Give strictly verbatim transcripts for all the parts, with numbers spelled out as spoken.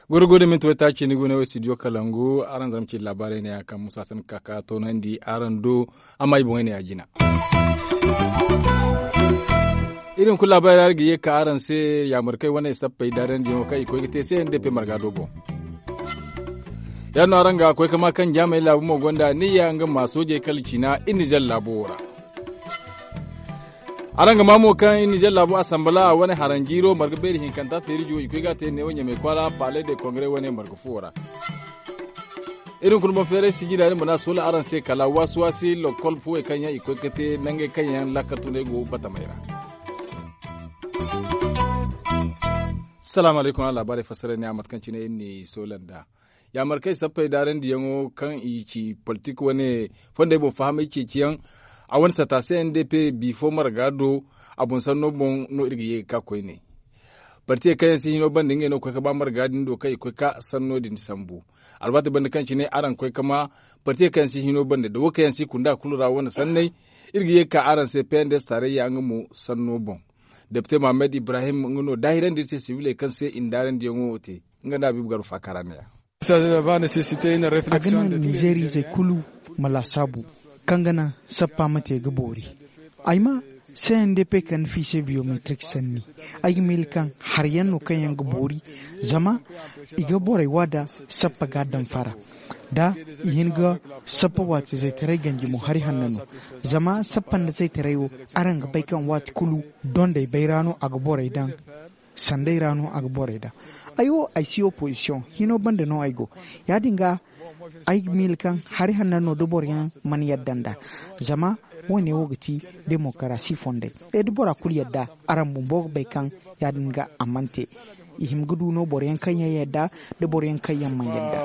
Goro goro da minti waytaaci ni gune wo studio kalangu araŋ zama ci labaarey ne ya kaŋ musa san ka ka toonandi araŋ do. Amma i boŋey ne ya jina. Iri hunkuna labaarey ra iri ga ye ka araŋ se yaamarkey wane sappey daarandiyaŋo kaŋ i koy ga te se n d p marga do boŋ. Ya- din no araŋ ga koy ka ma kaŋ jaamey laabu mo gonda niyya nga ma soojey kala cina iri nizer laabo wo ra. Araŋ ga maa mo kaŋ iri nizer laabo asanbala wane haranjiiro marga beeri hinkanta feerijo i koy ga a te neewo ɲamey kwaara paaley de kongare wane marga fuwo ra. Iri hunkuna boŋ feeray sijira din bana soola araŋ se kala waasi waasi lokol fuwey kaŋ yaŋ i koy ga te nangey kaŋ yaŋ laakal tunay go batamey ra. Salaamu alaykum araŋ laabaarey fassara ne a mate kaŋ cine iri n'i soola nd'a. Yaamarkey sappey daarandiyaŋo kaŋ i ci politik wane fondey boŋ fahamay ceeciyaŋ a wane sata se n d p bifo marga do. A boŋ sanno boŋ no iri ga ye ga ka koyne. Partiyey kaŋ yaŋ si hino banda ngey no ga koy ga ba marga din do kaŋ i koy ga ka sanno din sambu. Alwaati banda kaŋ cine araŋ ga koy ga ma partiyey kaŋ yaŋ si hino banda da wo kaŋ yaŋ si kunda kulu ra wane sanney. Iri ga ye ga ka araŋ se pnds taarayya nga mo sanno boŋ. Depite mohammed ibrahim nga no daahirandi iri se sibiley kaŋ se i na daarandiyaŋo te. Nga nda habiibu garba faakara ne ya. A ga naŋ nizeer izey kulu ma laasaabu kaŋ ga naŋ sappa ma te ga boori. Ay ma c n d p kande fiise biyometrik sanni. Ay ga miila kaŋ hari yaŋ no kaŋ yaŋ ga boori. Zama i ga borey wa da sappa ga daŋ fara da i hin ga sappa waati zaytaray ganji mo hari hanno no. Zama sappa nda zaytaray wo araŋ ga bay kaŋ waati kulu dondey bay ra no a ga borey daŋ. Sanday ra no a ga borey daŋ. Ay wo ay si opozisiyoŋ hino banda no ay go. Ya- din ga ay ga miila kaŋ hari hanno no da boro yaŋ mana yadda nd'a. Zama wo- ne wo ga ti demokarasi fondey. Ay da bora kulu yadda araŋ bumbo ga bay kaŋ ya- din ga a mana te. I hima ga du no boro yaŋ kaŋ yaŋ yadda da boro yaŋ kaŋ yaŋ mana yadda.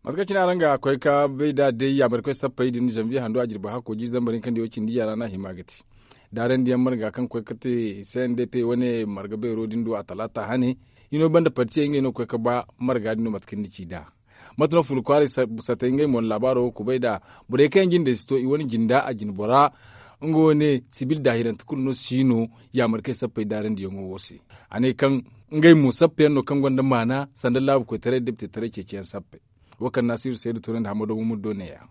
Mate kaŋ cine araŋ ga koy ga bay nd'a day yaamarikoy sappey din zanbiye hando a jirbi hakko jiiri zambar hinka nda yaw cindi yaŋ ra no a hima ga te. Daarandiyaŋ marga kaŋ koy ga te c n d p wane marga beero din do a talaata hane. Hino banda partiyey ngey no ga koy ga ba marga din no mate kaŋ ni ci nd'a. Mate no fulu kwaaray satey ngey mo na laabaaro wo kubay nd'a. Borey kaŋ yaŋ jindey si to i wane jinda a jinbora nga wane sibil daahirante kulu no si no yaamarikey sappey daarandiyaŋo wo se. A ne kaŋ ngey mo sappeyaŋ no kaŋ gonda maana sanda laabu koytaray deptetaray ceeciyaŋ sappey. Wo kaŋ naasiru saydu toonandi hamado mumuddo ne- ya.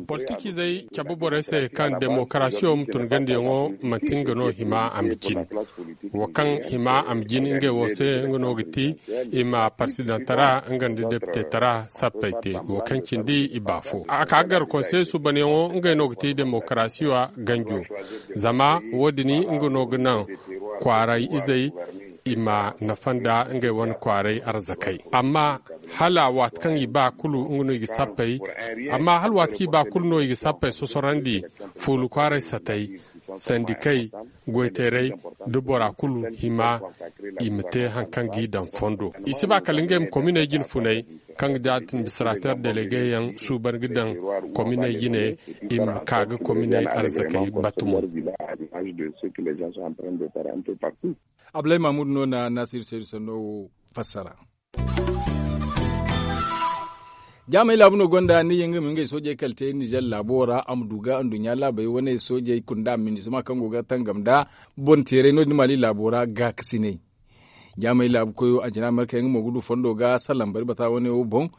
Politiizey cabe borey se kaŋ demokarasiyo ma tun gandiyaŋo manti nga no hima a ma jin. Wo kaŋ hima a ma jin ngey wo se nga no ga ti i ma parsidantara nga nda deptetara sappey te wo kaŋ cindi i baafo a ka ga gar konsey suubanyaŋo ngey no ga ti demokarasiyo ganjo. Zama wo- din nga no ga naŋ kwaaray izey i ma nafa nda ngey wane kwaaray arzakey. Amma hala waati kaŋ i ba kulu nga no i ga sappey. Amma hala waati kaŋ i ba kulu no i ga sappey sosorandi fuulu kwaaray satey, sandikey, goyteerey, da bora kulu hima i ma te hari kaŋ g'i daŋ fondo. I si ba kala ngey ma kominey jine funey kaŋ ga da administrater delegeyaŋ suuban ga daŋ kominey jine i ma ka ga kominey arzakey batumo. Abulay mahmud no na naasiru saydu sanno wo fassara. Jaamey laabu no gonda ni yaŋ ga ma ngey soojey kala te nizer laabo ra a ma du ga nduɲɲa laabey wane soojey kunda minisma kaŋ go ga tangam nda bonteeray no- din maali laabo ra gaakasinay. Jaamey laabu koyo anjina marka yaŋ mo ga du fondo ga salaŋ bari bata wane wo boŋ.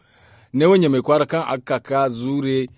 Neewo ɲamey kwaara kaŋ a ga ka ga zuure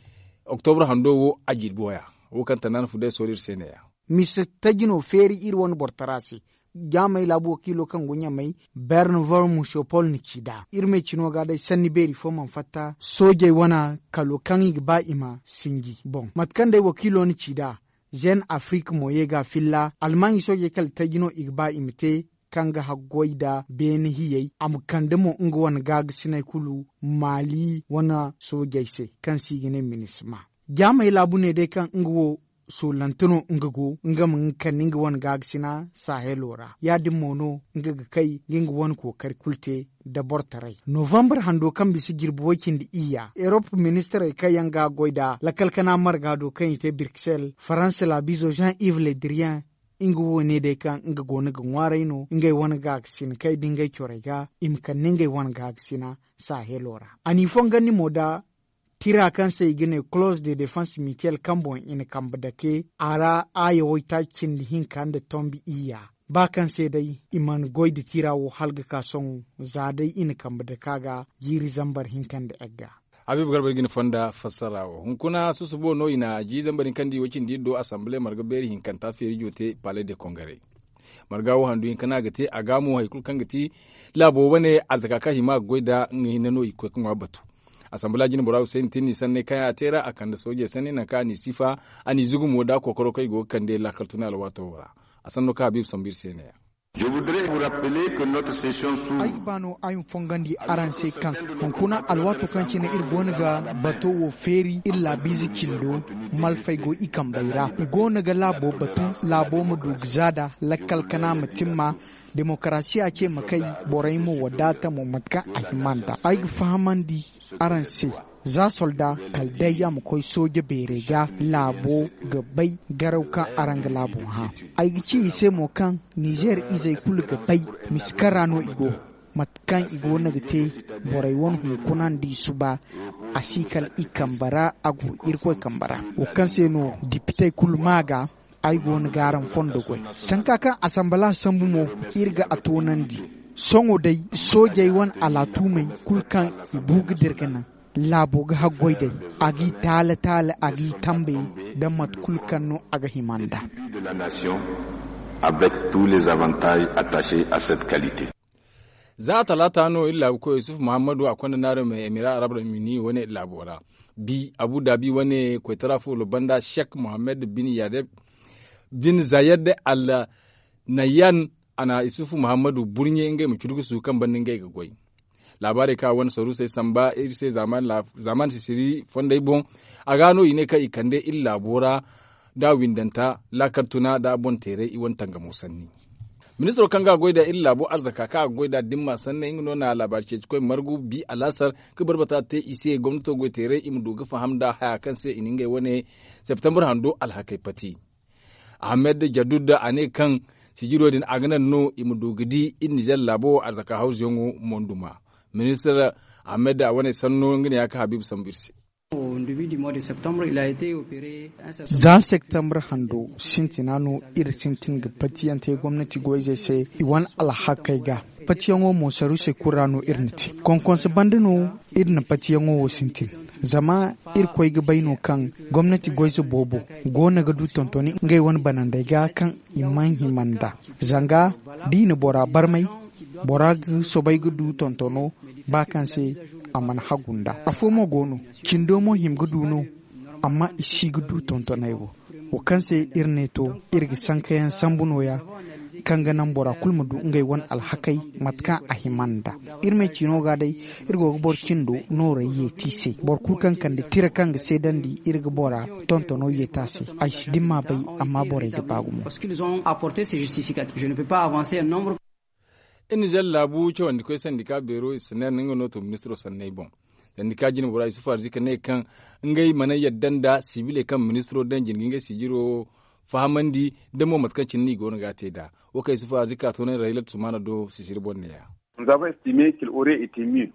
oktobra hando wo a jirbi waya. Wo kaŋ tanaana fu day soori iri se ne- ya. Mise taji no feeri iri wane bortara se. Jaamey laabu wakiilo kaŋ go ɲamey berne von musopol na ci nd'a iri ma ay cino ga day sanni beeri fo mana fatta soojey wane kalo kaŋ i ga ba i ma sinji boŋ mate kaŋ day wakiilo na ci nd'a. Zen afrik mo ye ga filla almaaɲi soojey kala taji no i ga ba i ma te kaŋ ga haggoy nda beene hiyey a ma kande mo nga wane gaagasiney kulu maali wane soojey se kaŋ se i ga ne minisma. Jaamey laabu ne day kaŋ nga wo soolante no nga go nga ma nga kande nga wane gaagasina sahelo ra ya- din mo no nga ga kay ga nga wane kookari kulu te. Nda bortaray novambar hando kaŋ bisa jirbi way-cindi iyya erop ministirey kaŋ yaŋ ga goy nda lakalkana marga do kaŋ i te birksel faransa laabizo jean yves le diriyen Nga wo ne day kaŋ nga go no ga ŋwaaray no ngey wane gaakasina kaŋ ay di ngey corey ga i ma kande ngey wane gaakasina saaheelo ra. A n'i fongandi mo nda tira kaŋ se i ga ne close de defense mutuel kaŋ boŋ i na kambe dake a ra aaya waytaaci cindi hinka nda tombi iyya. Ba kaŋ se day i mana goy nda tira wo hala ga ka sohõ za day i na kambe dake a ga jiiri zambar hinka nda egga. Habiibu garba iri ga ni fonda fassara wo hunkuna susubo no i na jiiri zambar hinka nda i wo cindi iri do assemble marga beeri hinkanta feeri jote palais de kongare. Marga wo handu hinka no a ga te a ga mo hari kulu kaŋ ga ti laabo wane arzaka kaŋ hima a ga goy nd'a nga hinne no i ga koy ga ŋwa batu. Asambala jine bora hussein tin ni sanney kaŋ a te ra a kande soojey sanney nangu kaŋ a n'i sifa a n'i zugu mo nd'a kookaro kaŋ i go ga kande laakal tuna alwaato wo ra. A sanno kaŋ habiibu sambu iri se ne ya. Ay ga ba no ay ma fongandi araŋ se kaŋ hunkuna alwaato kaŋ cine iri goono ga bato wo feeri iri laabiize cindo malfey go i kambey ra i goono ga laabo batu laabo ma du ga zaada lakkal kana ma timma. Demokarasiya ce ma kay borey ma wadaata mo mate kaŋ a hima nd'a ay ga fahamandi araŋ se. Za solda kala day a ma koy sooje beerey ga laabo ga bay garaw kaŋ araŋ ga laabo hã. Ay ga ci i se mo kaŋ nizeer izey kulu ga bay mise kaŋ ra no i go. Mate kaŋ i goono ga te borey wane hunkuna nda i suba a si kala i kambe ra a go irkoy kambe ra. Wo kaŋ se no depitey kulu maa ga ay go no ga araŋ fondo goy. Sanka kaŋ asambala sambu mo iri ga a toonandi. Sohõ day soojey wane alaatumey kulu kaŋ i bu ga dira ga naŋ laabo ga haggoy day a g'i taala taala a g'i tambe nda mate kulu kaŋ no a ga hima nd'a. Avec tous les avantages attachés à cette qualité. Za talaata no iri laabu koyo yusuf muhammadu a konda naaro me emira arab ramini wane laabo ra. Bi abu dabi wane koytara fulo banda shek muhammad bin yadeb bin zayed al nayyan a na yusuf muhammadu burɲe ngey ma curgusu kaŋ banda ngey ga goy. Laabaarey kaŋ a wane saruusey samba iri se zaaman sisiri fondey boŋ. A ga no i ne kaŋ i kande iri laabo ra da windanta laakal tuna da boŋ teeray i wane tangamo sanni. Ministiro kaŋ ga a goy da iri laabo arzaka kaŋ a ga goy da dimma sanney nga no na laabaari ceeci koy margu bi alaasar ga barbata te i se gomnato goy teeray i ma du ga faham da haya kaŋ se i na ngey wane septembre hando alhakey pati. Ahmed jadud a ne kaŋ sijiro din a ga naŋ no i ma du ga di iri nizer laabo arzaka hawzuyaŋo monduma. Ministir ahmed a wane sanno nga ne ya kaŋ habiibu sambu iri se. Za septembre hando sintina no iri sintin ga patiyaŋ te gomnati goyzey se i wane alhakey ga. Patiyaŋo mo saruusey kulu ra no iri na te konkonse banda no iri na patiyaŋo wo sintin. Zama irkoy ga bay no kaŋ gomnati goyze boobo go no ga du tontoni ngey wane banandey ga kaŋ i mana hima nd'a. Zanga da i na bora barmay bora ga soobay ga du tontono ba kaŋ se a mana hagu nd'a. Afo mo go no cindo mo hima ga du no. Amma i si ga du tontoney wo wo kaŋ se iri ne to iri ga sankayaŋ sambu nooya kaŋ ga naŋ bora kulu ma du ngey wane alhakey mate kaŋ a hima nd'a. Iri ma ay ciino ga day iri go ga boro cindo noorey yeeti se boro kulu kaŋ kande tira kaŋ ga seedandi iri ga bora tontono yeeti a se. Ay si dimma bay amma borey ga ba gumo. Iri nizer laabu cawandikoy sandika beero i si ne nga no to ministiro sanney boŋ. Sandika jine bora isufu arzika ne kaŋ ngey mana yadda nda sibiley kaŋ ministiro daŋ jine ga ngey sijiro fahamandi da mo mate kaŋ cine no i go no ga a te nd'a. Wo kaŋ isufu arzika to naŋ raylat sumana do sisiri boŋ ne ya.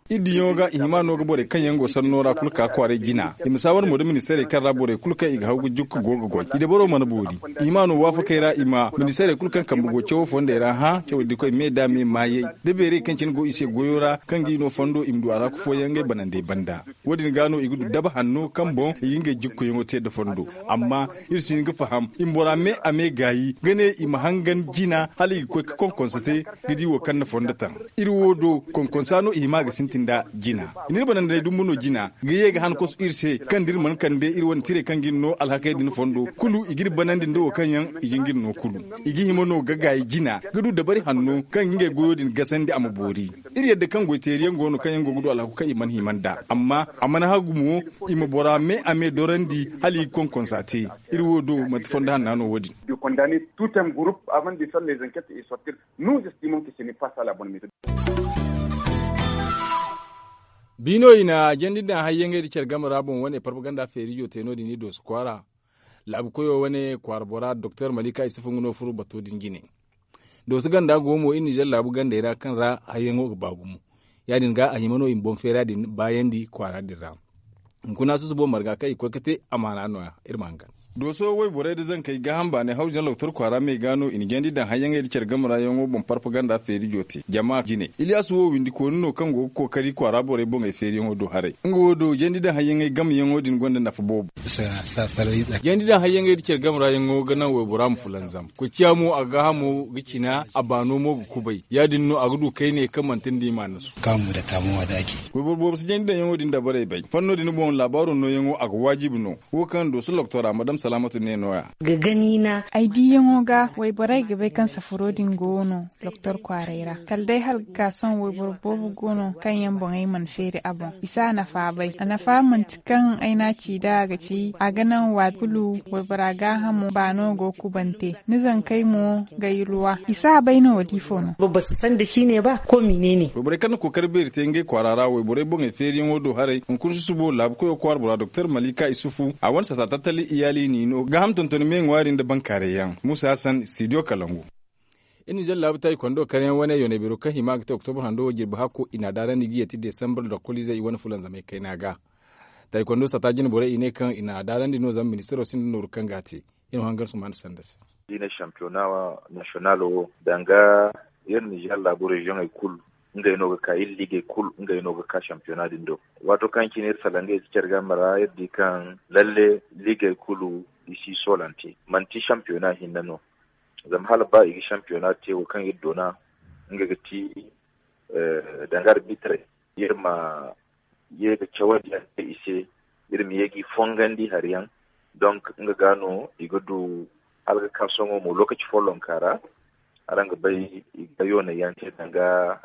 Iri diyaŋo ga i hima no ga borey kaŋ yaŋ go sanno ra kulu ka kwaaray jina i ma saawar mo da ministeerey kaŋ ra borey kulu kaŋ i ga haw ga jukka go ga goy i dabaro mana boori. I hima no waafakey ra i ma ministeerey kulu kaŋ kambe go cawo fondey ra hã cawo dikoy me da me maayey da beerey kaŋ cine go i se goyo ra kaŋ ga i no fondo i ma du a ra kufooyaŋ ngey banandey banda. Wo- din ga no i ga du daba hanno kaŋ boŋ i ga ngey jikkoyaŋo te nda fondo. Amma iri si hin ga faham i ma bora me a me gaayi ga ne i ma hangan jina hala i ga koy ga konkonsa te ga di wo kaŋ na fondo taŋ. Iri wo do konkonsa no i hima ga sintin nda jina i n'iri banandi day dumbu no jina ga ye ga han kosu iri se kaŋ da iri mana kande iri wane tirey kaŋ ga iri no alhakey din fondo kulu i g'iri banandi nda wo kaŋ yaŋ i ga ng'iri no kulu. I ga hima no ga gaayi jina ga du dabari hanno kaŋ ga ngey goyo din gasandi a ma boori. Iri yadda kaŋ goyteeriyaŋ go no kaŋ yaŋ go ga du alhaku kaŋ i mana hima nd'a amma a mana hagu mo i ma bora me a me dorandi hala i ga konkonsa te. Iri wo do manti fondo hanna no wo- din. Biino i na jandi daŋ hayyaŋey nda care game ra boŋ wane parpaganda feerijo te no- din i dooso kwaara. Laabu koyo wane kwaara bora doktor malika isufu nga no furo bato din jine. Dooso ganda go mo iri nizer laabu gandey ra kaŋ ra hayyaŋo ga ba gumo. Ya- din ga a hima no i ma boŋ feera din baayandi kwaara din ra. Hunkuna susubo marga kaŋ i koy ga te amaana no- ya. Iri ma hangan. Dooso wayborey nda zankey gaaham baanay hawru jaŋ loktor kwaara me ga no i na jandi daŋ hayyaŋey nda care game ra yaŋo boŋ parpaganda feeri joote jama jine iliyasu wo windi kooni no kaŋ go ga kookari kwaara borey boŋey feeriyaŋo do haray nga wo do jandi daŋ hayyaŋey gameyaŋo din gonda nafa boobo. Jandi daŋ hayyaŋey nda care game ra yaŋo ga naŋ waybora ma fulanzam. Koy ciya mo a gaahamo ga cina a baano mo ga kubay ya- din no a ga du kayne kaŋ manti nda i ma nasu. Wayboro boobo si jandi daŋyaŋo din dabarey bay fanno din boŋ laabaaro nooyaŋo a ga waajibi no. Wo kaŋ dooso loktora madam salaamatu ne no- ya. Ay diiyaŋo ga wayborey ga bay kaŋ safaro din go no loktor kwaaray ra kala day hala ga ka sohõ wayboro boobo go no kaŋ yaŋ boŋey mana feeri a boŋ i si a nafa bay a nafa manti kaŋ ay n'a ci nd'a ga ci a ga naŋ waati kulu waybora gaahamo baano go kubante ni zankey mo ga yulwa i si a bay no wala ifo no. Boro si sanda si ne ba ko mine ne. Wayborey kaŋ na kookari beeri te ngey kwaara ra wayborey boŋey feeriyaŋo do haray hunkuna susubo laabu koyo kwaara bora doktor malika isufu a wane sata tattali iyaali n'i no gaaham tontoni me ŋwaari nda bankaaray yaŋ muusa hassan studio kalangu. Iri nizer laabu taayi kondo kaŋ yaŋ wane yoonay beero kaŋ hima ga te oktobur hando wo jirbi hakko i n'a daarandi ga yeeti desambar lokkoliizey i wane fulanzamey kayna ga. Taayi kondo sata jine borey i ne kaŋ i n'a daarandi no zama ministaro sinda nooru kaŋ ga a te. Iri ma hangan sumaana sanda se. Iri ne shampiyona nasiyonal wo danga iri nizer laabu reziyoŋey kulu ngey no ga ka iri liigey kulu ngey no ga ka shampiyona din do. Waato kaŋ cine iri salangey si care game ra iri di kaŋ lalle liigey kulu i si soolante manti shampiyona hinne no. Zama hala ba i ga shampiyona te wo kaŋ iri doona nga ga ti danga arbitrey iri ma ye ga cawandi yaŋ te i se. Iri ma ye g'i fongandi hari yaŋ donk nga ga no i ga du hala ga ka sohõ mo lokaci follonka ra. Araŋ ga bay i ga yoonay yaŋ te danga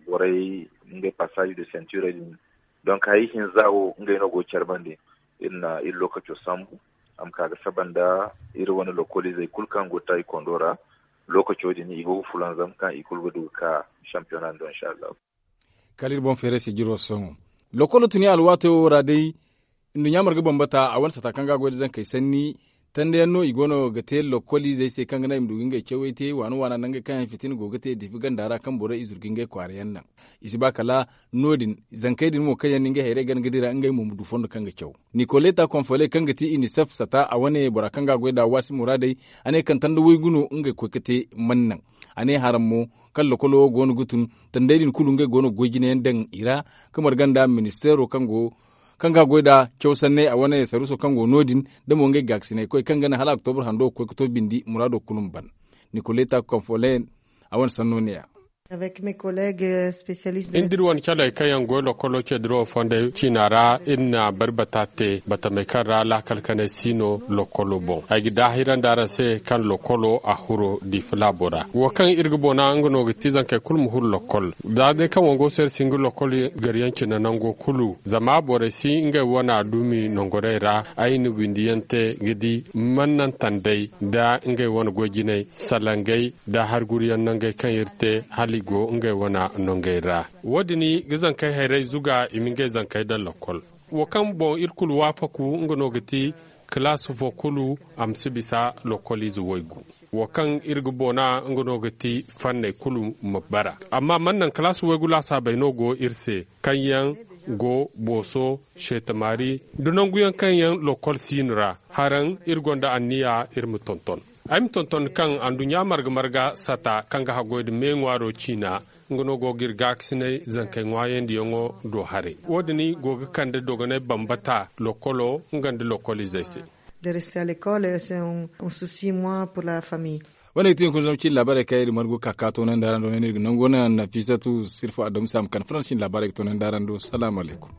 borey ngey passage de ceinture din. Donk hari hinza wo ngey no go ga care bande. Iri na iri lokaco sambu a ma ka ga saba nda iri wane lokoliizey kulu kaŋ go ga taayi kondo ra. Lokaco din i go ga fulanzam kaŋ i kulu ga du ga ka shampiyona din do insa allahu. Kala iri boŋ feeray se jiro sohõ lokolo tuni alwaato wo ra day. Nduɲɲa marga bambata a wane sata kaŋ ga a goy nda zankey sanni tanda yaŋ no i go no ga te lokoliizey se kaŋ ga naŋ i ma du ga ngey cawey te waana waana nangey kaŋ yaŋ fitina go ga te difi ganda ra kaŋ borey i zuru ga ngey kwaara yaŋ naŋ. I si ba kala no- din zankey din mo kaŋ yaŋ na ngey hayrey gana ga dira ngey mo ma du fondo kaŋ ga caw. Nikoleta konfoley kaŋ ga ti inisef sata a wane bora kaŋ ga a goy nd'a waasi muraadey a ne kaŋ tanda waygu no ngey koy ga te mana naŋ. A ne haram mo kaŋ lokolo wo go no ga tun tandey din kulu ngey go no ga goy jinayaŋ daŋ i ra. Ga marga nda ministeero kaŋ ga goy nd'a caw sanney a wane saruuso kaŋ go no- din da mo ngey gaakasinay koy kaŋ ga naŋ hala oktobur hando ga koy ga to bindi muraado kulu ma ban. Nikoleta konfolen a wane sanno ne- ya. Iri da iri wane caley kaŋ yaŋ goy lokolo cediro fondey ciina ra iri na bari bata te batamey kaŋ ra laakal kanay si no lokolo boŋ ay ga daahirandi araŋ se kaŋ lokolo a huro diifa laabo ra. Wo kaŋ iri ga bona nga no ga ti zankey kulu ma huru lokol. Za day kaŋ wango se iri si hin ga lokol gariyaŋ cine nango kulu zama borey si ngey wane dumi nongorey ra. Ay na windiyaŋ te ga di mannantandey nda ngey wane goy jinay salangey nda hari guruyaŋ nangey kaŋ iri te hala i go ngey wane nongey ra. Wo- din ga zankey hayrey zuga i ma ngey zankey daŋ lokol. Wo kaŋ boŋ iri kulu waafaku nga no ga ti kalaasi fo kulu a ma si bisa lokoliize waygu. Wo kaŋ iri ga boona nga no ga ti fanney kulu ma bara. Amma mana naŋ kalaasi waygu laasaabey no go iri se kaŋ yaŋ go booso seetamaari nda nanguyaŋ kaŋ yaŋ lokol siino ra. Haraŋ iri gonda anniya iri ma tonton. Ay ma tonton kaŋ anduɲɲa marga marga sata kaŋ ga haggoy nda me ŋwaaro ciina nga no go ga iri gaakasinay zankey ŋwaayandiyaŋo do haray. Wo- din go ga kande dogonay bambata lokolo nga nda lokoliizey se. De rester à l'école c'est un souci moi pour la famille. Wane ga ti hunkuna zama cin laabaarey kaŋ iri margu ka ka toonandi araŋ do ne no iri ga nangu wane nafisatu sirfa adamu se a ma kande faransa cin laabaarey ga toonandi araŋ do salaamu alaykum.